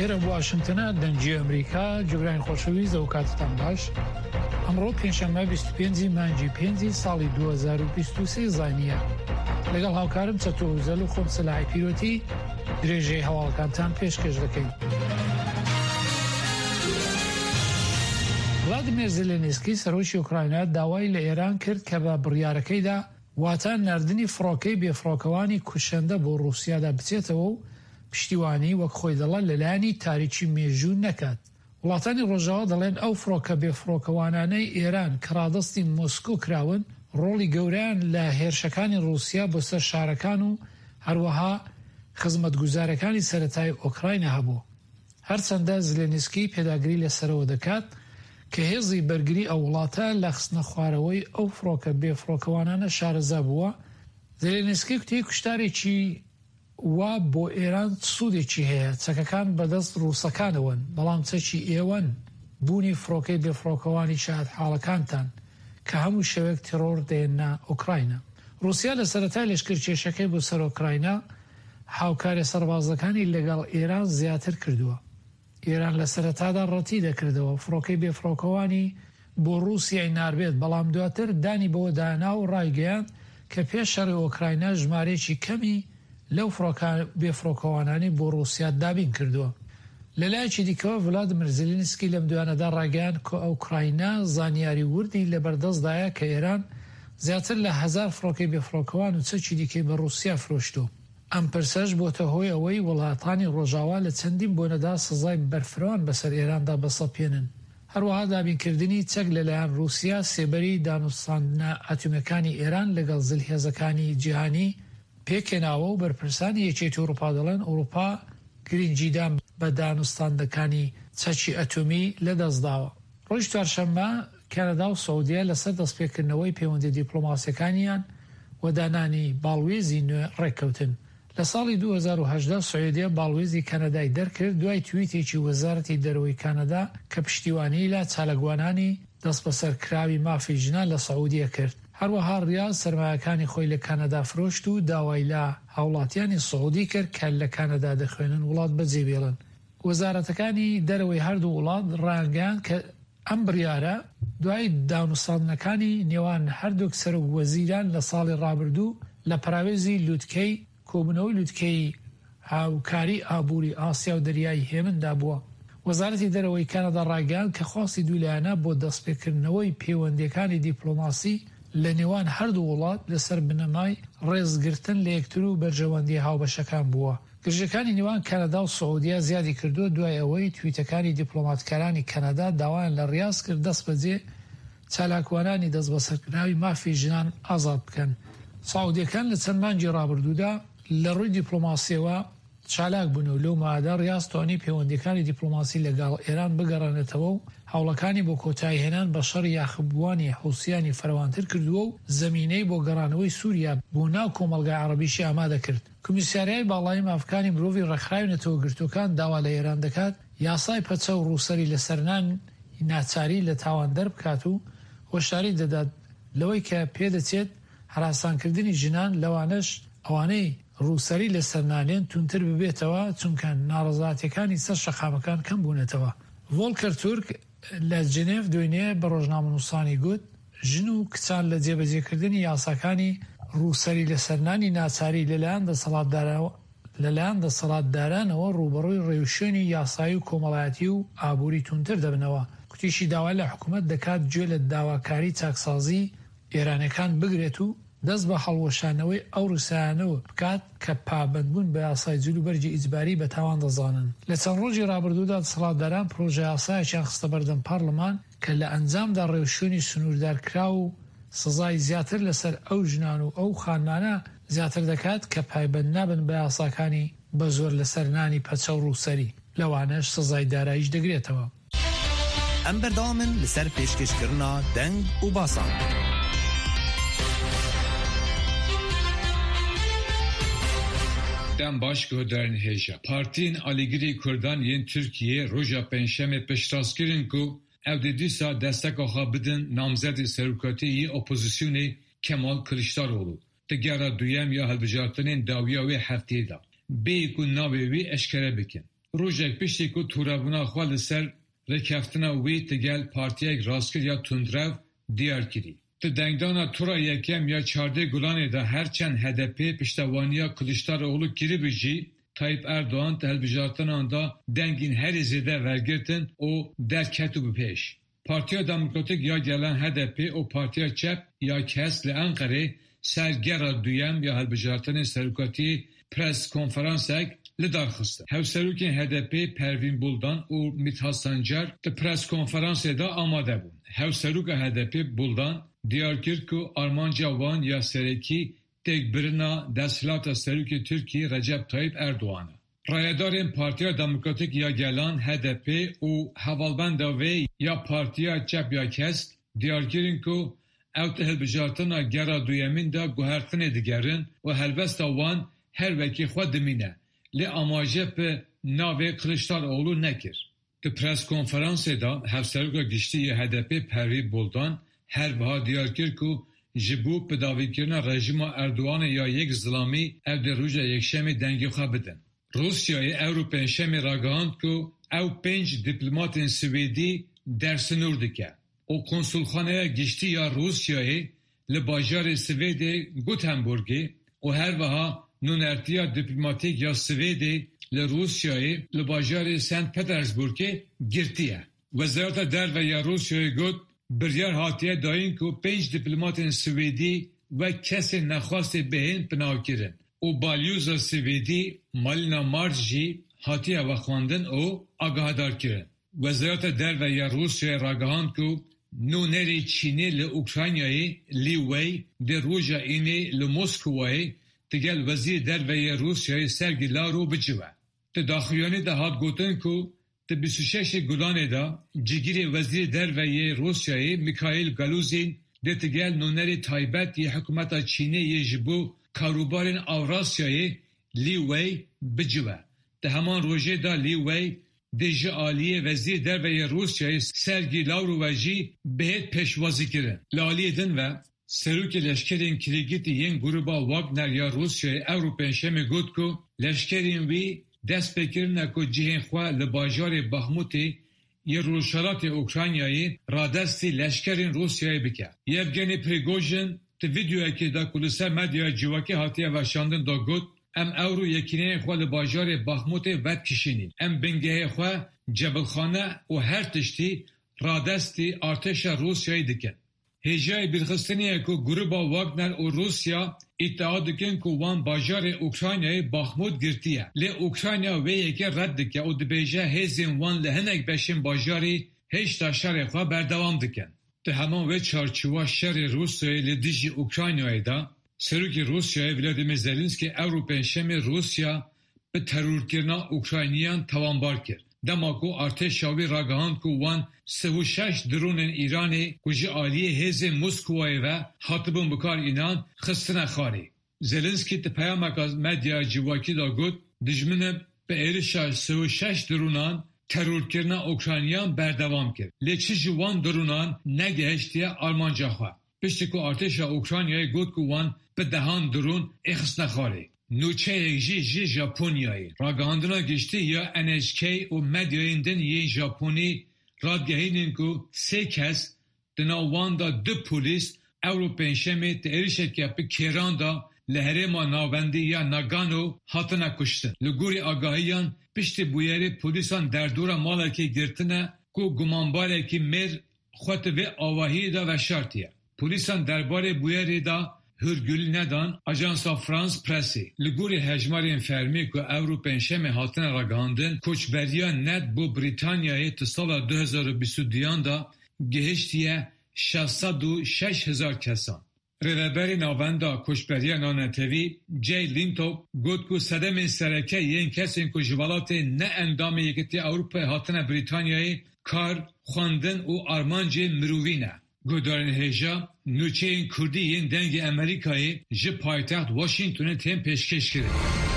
ئێرە واشنتنە دەنگی ئەمریکا جوگرانی خۆشەویست ئەو کاتتان باش ئەمڕۆ پێنجشەممە 25 مانگی پێنجی ساڵی 2023 زانیە لەگەڵ هاوکارم چەتۆ وزەل و خۆم سەلاحی پیرۆتی درێژەی هەواڵەکانتان پێشکەش دەکەین. ڤلادیمێر زێلێنسکی سەرۆکی ئۆکراینا داوای لە ئێران کرد کە بە بڕیارەکەیدا واتە ناردنی فڕۆکەی بێفڕۆکەوانی کوشەندە بۆ ڕووسیادا بچێتەوە و پشتیوانی وەک خۆی دەڵێت لەلایەنی تاریکی مێژوو نەکات. وڵاتانی ڕۆژاوا دەڵێن ئەو فڕۆکە بێفڕۆکەوانانەی ئێران کە ڕادەستی مۆسکۆ کراون ڕۆڵی گەورەیان لە هێرشەکانی ڕووسیا بۆ سەر شارەکان و هەروەها خزمەتگوزارەکانی سەرەتایی ئۆکراینا هەبوو. هەرچەندە زلێنسکی پێداگری لەسەرەوە دەکات کە هێزی بەرگری ئەو وڵاتە لە خستنەخوارەوەی ئەو فڕۆکە بێفڕۆکەوانانە شارەزا بووە، زلێنسکی کوتی کوشتارێکی وا بۆ ئێران چ سوودێکی هەیە، چەکەکان بەدەست ڕووسەکانەوەن، بەڵام چەکی ئێوەن، بوونی فڕۆکەی بێفڕۆکەوانی شایەتحاڵەکانتان کە هەموو شەوێک تێڕۆر دەێننە ئۆکراینا. ڕووسیا لە سەرەتای لەشکرکێشەکەی بۆ سەر ئۆکراینا، هاوکاریە سەربازەکانی لەگەڵ ئێران زیاتر کردووە. ئێران لە سەرەتادا ڕەتی دەکردەوە فڕۆکەی بێفڕۆکەوانی بۆ ڕووسیای ناربێت، بەڵام دواتر دانی بەوەدا نا و ڕایگەیاند کە پێش شەڕی ئۆکراینا ژمارەیەکی کەمی لەو فڕۆکە بێفڕۆکەوانانەی بۆ ڕووسیا دابین کردووە. لەلایەکی دیکەوە ڤلادیمیر زیلینسکی لەم دوایانەدا ڕایگەیاند کە ئۆکراینا زانیاری وردی لەبەردەستدایە کە ئێران زیاتر لە هەزار فڕۆکەی بێفڕۆکەوان و چەکی دیکەی بە ڕووسیا فرۆشتووە. ئەم پرسەش بۆتە هۆی ئەوەی وڵاتانی ڕۆژاوا لە چەندین بۆنەدا سزای بەرفراوان بەسەر ئێراندا بسەپێنن. هەروەها دابینکردنی چەک لەلایەن ڕووسیا سێبەری دانوستاندنە ئەتۆمییەکانی ئێران لەگەڵ زلهێزەکانی جیهانی پێکهێناوە و بەرپرسانی یەکێتی ئەوروپا دەڵێن ئەوروپا گرنگیدان بە دانوستاندنەکانی چەکی ئەتۆمی لەدەستداوە. ڕۆژی چوارشەممە کەنەدا و سعودیە لەسەر دەستپێکردنەوەی پەیوەندیە دیپلۆماسیەکانیان و دانانی باڵوێزی نوێ ڕێککەوتن. لە ساڵی 2018 سعودیە باڵوێزی کەنەدای دەرکرد دوای تویتێکی وەزارەتی دەرەوەی کەنەدا کە پشتیوانیی لە چالاکوانانی دەستبەسەرکراوی مافی ژنان لە سعودیە کرد. هەروەها ڕیاز سەرمایەکانی خۆی لە کەنەدا فرۆشت و داوای لە هاوڵاتیانی سعودی کرد کە لە کەنەدا دەخوێنن وڵات بەجێبێڵن. وەزارەتەکانی دەرەوەی هەردوو وڵات ڕایانگەیاند کە ئەم بڕیارە دوای دانوستاندنەکانی نێوان هەردووک سەرۆک وەزیران لە ساڵی ڕابردوو لە پەراوێزی لوتکەی کۆبوونەوەی لوتکەی هاوکاری ئابووری ئاسیا و دەریای هێمندا بووە. وەزارەتی دەرەوەی کەنەدا ڕایگەیاند کە خواستی دوولایەنە بۆ دەستپێکردنەوەی پەیوەندییەکانی دیپلۆماسی لە نێوان هەردوو وڵات لەسەر بنەمای ڕێزگرتن لە یەکتر و بەرژەوەندییە هاوبەشەکان بووە. گرژییەکانی نێوان کەنەدا و سعودیە زیادی کردووە دوای ئەوەی تویتەکانی دیپلۆماتکارانی کەنەدا داوایان لە ڕیاز کرد دەستبەجێ چالاکوانانی دەستبەسەرکراوی مافی ژنان ئازاد بکەن. سعودییەکان لە چەند مانگی ڕابردوودا لە ڕووی دیپلۆماسییەوە چالاک بوون و لەو ماوەدا ڕیاز توانی پەیوەندییەکانی دیپلۆماسی لەگەڵ ئێران بگەڕێنێتەوە و هەوڵەکانی بۆ کۆتاییهێنان بە شەڕی یاخیبووانی حوسییانی فراوانتر کردووە و زەمینەی بۆ گەڕانەوەی سووریا بۆ ناو کۆمەڵگای عەڕەبیشی ئامادە کرد. کۆمیساریای باڵای مافکانی مرۆڤی ڕێکخراوی نەتەوەگرتووەکان داوا لە ئێران دەکات یاسای پەچە و ڕووسەری لەسەرنانی ناچاری لە تاوان دەربکات و هۆشداری دەدات لەوەی کە پێدەچێت هەراسانکردنی ژنان لەوانەش ئەوانەی ڕووسەری لەسەر نانێن توندتر ببێتەوە چونکە ناڕەزایەتیەکانی سەر شەقامەکان کەم بوونەتەوە. ڤۆڵکەر تورک لە جنێڤ دوێنێ بە ڕۆژنامەنووسانی گوت، ژن و کچان لە جێبەجێکردنی یاساکانی ڕووسەری لەسەرنانی ناچاری لەلایەن لەلایەن دەسەڵاتدارانەوە ڕووبەڕووی ڕێوشوێنی یاسایی و کۆمەڵایەتی و ئابووری توندتر دەبنەوە. گوتیشی داوا لە حکومەت دەکات گوێ لە داواکاری چاکسازی ئێرانیەکان بگرێت و دەست بە هەڵوەشانەوەی ئەو ڕیسایانەوە بکات کە پابەندبوون بە یاسای جل و بەرگی ئیجباری بە تاوان دەزانن. لە چەند ڕۆژی ڕابردوودا دەسەڵاتداران پرۆژەیاسایەکیان خستە بەردەم پارلمان کە لە ئەنجامدا ڕێوشوێنی سنووردارکراو و سزای زیاتر لەسەر ئەو ژنان و ئەو خانمانە زیاتر دەکات کە پایبەند نابن بە یاساکانی بە زۆر لەسەر نانی پەچە و ڕووسەری، لەوانەش سزای داراییش دەگرێتەوە. Em berdewam in li ser pêşkêşkirina deng û basan. Dem baş guhdarên hêja. Partiyên alîgirê Kurdan yên Tirkiyê roja Pêncşemê piştrast kirin ku ew dê dîsa desteka xwe bidin namzedê serokatiyê yê opozisyonê Kemal Kiliçdaroglu di gera duyem ya hilbijartinên dawiya wê hefteyê de, bêyî ku navê wî eşkere bikin. Rojek piştî ku tûrebûna xwe li ser rêkeftina wî digel partiyek rastgir ya tundrew diyar kirî. Di dengdana tura yekem ya 14 Gulanê de her çend HDP piştevaniya Kiliçdaroglu kiribû jî Tayyip Erdogan di hilbijartinan de dengên herî zêde wergirtin û derketibû pêş. Partiya Demokratîk ya Gelan HDP û Partiya Çep ya Kesk li Enqerê ser gera duyem ya hilbijartinên serokatiyê press konferansek li dar xistin. Hevserokên HDP'ê Pervîn Buldan û Mîthat Sancar di press konferansê de amade bûn. Hevseroka HDP'ê Buldan diyar kir ku armanca wan ya serekî têkbirina desthilata Serokê Tirkiyê Recep Tayyip Erdogan e. Rayedarên Partiya Demokratîk ya Gelan, HDP, û hevalbenda wê ya Partiya Çep ya Kesk diyar kirin ku ew di hilbijartina gera duyemîn de guhertinê digerin û helbesta wan her wekî xwe dimîne lê amaje bi navê Kiliçdaroglu nekir. Di preskonferansê de Hevseroka Giştî ya HDP'ê Pervîn Buldan her wiha diyar kir ku ji bo bidawîkirina rejîma Erdoganê ya yek zilamî ew dê roja Yekşemê dengê xwe bidin. Rûsyayê ewro Pêncşemê ragihand ku ew pênc dîplomatên Swêdî dersinûr dike û Konsulxaneya Giştî ya Rûsyayê li bajarê Swêdê Gothenburgê û her wiha nûnertiya dîplomatîk ya Swêdê li Rûsyayê li bajarê Saint Petersburgê girtiye. Wezareta Derve ya Rûsyayê got, Biryar hatiye dayîn ku pênc dîplomatên Swêdî wek kesên nexwestê bihên pinavkirin û balyoza Swêdî Malina Mars jî hatiye vexwendin û agahdarkirin. Wezareta Derve ya Rûsyayê ragihand ku nûnerê Çînê li Ukraynayê Li Wei dê roja Înê li Moskowayê digel Wezîrê Derve yê Rûsyayê Sergey Lavrov bicive. Di daxuyanî de hat gotin ku di 26 Gulanê de cîgirê Wezîrê Derve yê Rûsyayê Mikhail Galuzin dê digel nûnerê taybet yê hikûmeta Çînê yê ji bo karûbarên Avrasyayê Li Wei bicive. Di heman rojê de Li Wei dê ji aliyê Wezîrê Derve yê Rûsyayê Sergey Lavrov ve jî bihêt pêşwazîkirin. Li aliyê din ve Serokê leşkerên kirêgirtî yên grûba Wagner ya Rûsyayê ewro Pêncşemê got ku leşkerên wî dest pê kirine ku cihên xwe li bajarê Baxmutê yê Rojhilatê Ukraynayê radestî leşkerên Rûsyayê bike. Yevgeny Prigojin di vîdeoyekê de ku li ser medyaya civakî hatiye weşandin de got, Em ewro yekîneyên xwe li bajarê Baxmutê vedikişînîn. Em bingehê xwe, cebilxane û her tiştî radestî artêşa Rûsyayê dikin. Hêjayê bîrxistinê ye ku grûba Wagner û Rûsya îdia dikin ku wan bajarê Ukraynayê Baxmut girtiye. Lê Ukrayna vê yekê red dike û dibêje hêzên wan li hinek beşên bajarî hêjta şerê xwe berdewam dikin. Di heman wê çarçowa şerê Rûsyayê li dijî Ukraynayê de, Serokê Rûsyayê Vladimir Zelenskiy ewro Pêncşemê Rûsya bi terorkirina Ukrayniyan tawanbar kir. Dema ku artêşa wî ragihand ku wan 36 dronên Îranê ku ji aliyê hêzên Moskowayê ve hatibûn bikar înan, xistine xarê. Zelenskiy di peyameka medyaya civakî de got, Dijmin bi êrişa 36 dronan terorkirina Ukrayniyan berdewam kir. Lê çi ji wan dronan negihiştiye armanca xwe. Piştî ku artêşa Ukraynayê got ku wan bi dehan dron êxistine xarê. Nûçeyek jî ji Japonyayê. Ragihandina giştî ya NHK û medyayên din yên Japonî radigihînin ku sê kes di nav wan de du polîs ewro Pêncşemê di êrişeke bi kêran de li herêma navendî ya Nagano hatine kuştin. Li gorî agahiyan piştî bûyerê polîsan derdora malekê girtine ku gumanbarekî mêr xwe di vê avahiyê de veşartiye. Polîsan derbarê bûyerê de hûrgulî nedan Ajansa France Pressê. Li gorî hejmarên fermî ku ewro Pêncşemê hatine ragihandin, koçberiya net bo Brîtanyayê di sala 2022 de gihiştiye 606 hezar kesan. Rêveberê Navenda Koçberiya Navnetewî Jay Lintow got ku sedemên sereke yên kesên ku ji welatê ne endamê Yekîtiya Ewropayê hatine Brîtanyayê kar, xwendin û armancên mirovî ne. Guhdarên hêja, nûçeyên Kurdî yên Dengê Amerîkayê ji paytext Washingtonê tên pêşkêş kirin.